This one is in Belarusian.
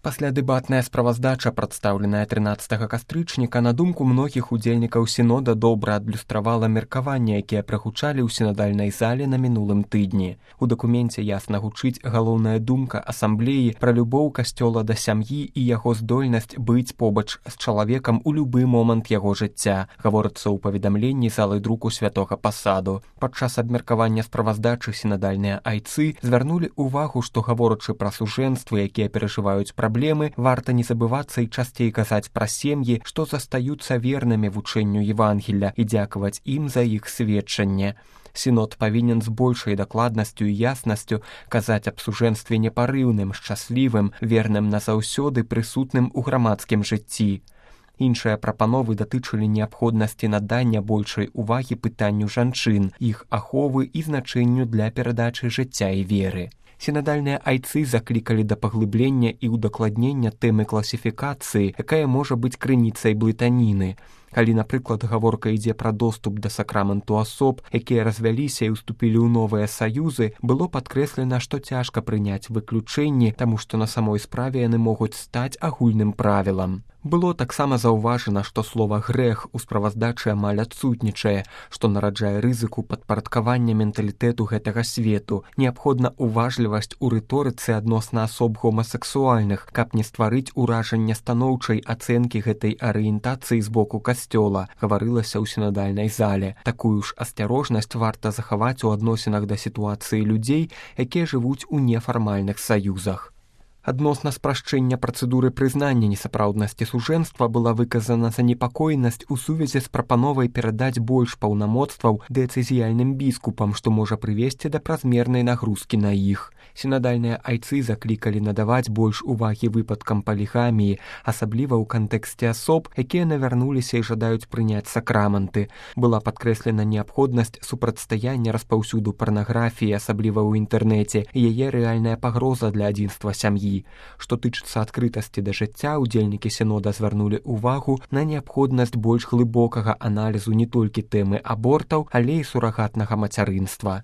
Паслядэбатная справаздача, прадстаўленая 13 кастрычніка, на думку многіх удзельнікаў сінода добра адлюстравала меркаванні, якія прагучалі ў сінадальнай зале на мінулым тыдні. У дакуменце ясна гучыць галоўная думка асамблеі пра любоў касцёла да сям'і і яго здольнасць быць побач з чалавекам у любы момант яго жыцця, гаворыцца ў паведамленні залы друку святога пасаду. Падчас абмеркавання справаздачы сінадальныя айцы звярнулі ўвагу, што гаворачы пра сужэнствы, якія перажываюць праблемы, варта не забывацца і часцей казаць пра сем'і, што застаюцца вернымі вучэнню Евангелля і дзякаваць ім за іх сведчанне. Сінод павінен з большай дакладнасцю і яснасцю казаць аб сужэнстве непарыўным, шчаслівым, верным назаўсёды, прысутным у грамадскім жыцці. Іншыя прапановы датычылі неабходнасці надання большай увагі пытанню жанчын, іх аховы і значэнню для перадачы жыцця і веры. Сінадальныя айцы заклікалі да паглыблення і ўдакладнення тэмы класіфікацыі, якая можа быць крыніцай блытаніны. Калі, напрыклад, гаворка ідзе пра доступ да сакраменту асоб, якія развяліся і ўступілі ў новыя саюзы, было падкрэслена, што цяжка прыняць выключэнні, таму што на самой справе яны могуць стаць агульным правілам. Было таксама заўважана, што слова «грэх» у справаздачы амаль адсутнічае, што нараджае рызыку падпарадкавання менталітэту гэтага свету. Неабходна уважлівасць у рыторыцы адносна асоб гомасексуальных, каб не стварыць уражанне станоўчай ацэнкі гэтай арыентацыі з боку касцёла, гаварылася ў сінадальнай зале. Такую ж асцярожнасць варта захаваць у адносінах да сітуацыі людзей, якія жывуць у нефармальных саюзах. Адносна спрашчэння працэдуры прызнання несапраўднасці сужэнства была выказана занепакоенасць у сувязі з прапановай перадаць больш паўнамоцтваў дыяцэзіяльным біскупам, што можа прывесці да празмернай нагрузкі на іх. Сінадальныя айцы заклікалі надаваць больш увагі выпадкам палігаміі, асабліва ў кантэксце асоб, якія навярнуліся і жадаюць прыняць сакраменты. Была падкрэслена неабходнасць супрацьстаяння распаўсюду парнаграфіі, асабліва ў інтэрнэце, і яе рэальная пагроза для адзінства сям'і. Што тычыцца адкрытасці да жыцця, удзельнікі сінода звярнулі ўвагу на неабходнасць больш глыбокага аналізу не толькі тэмы абортаў, але і сурагатнага мацярынства.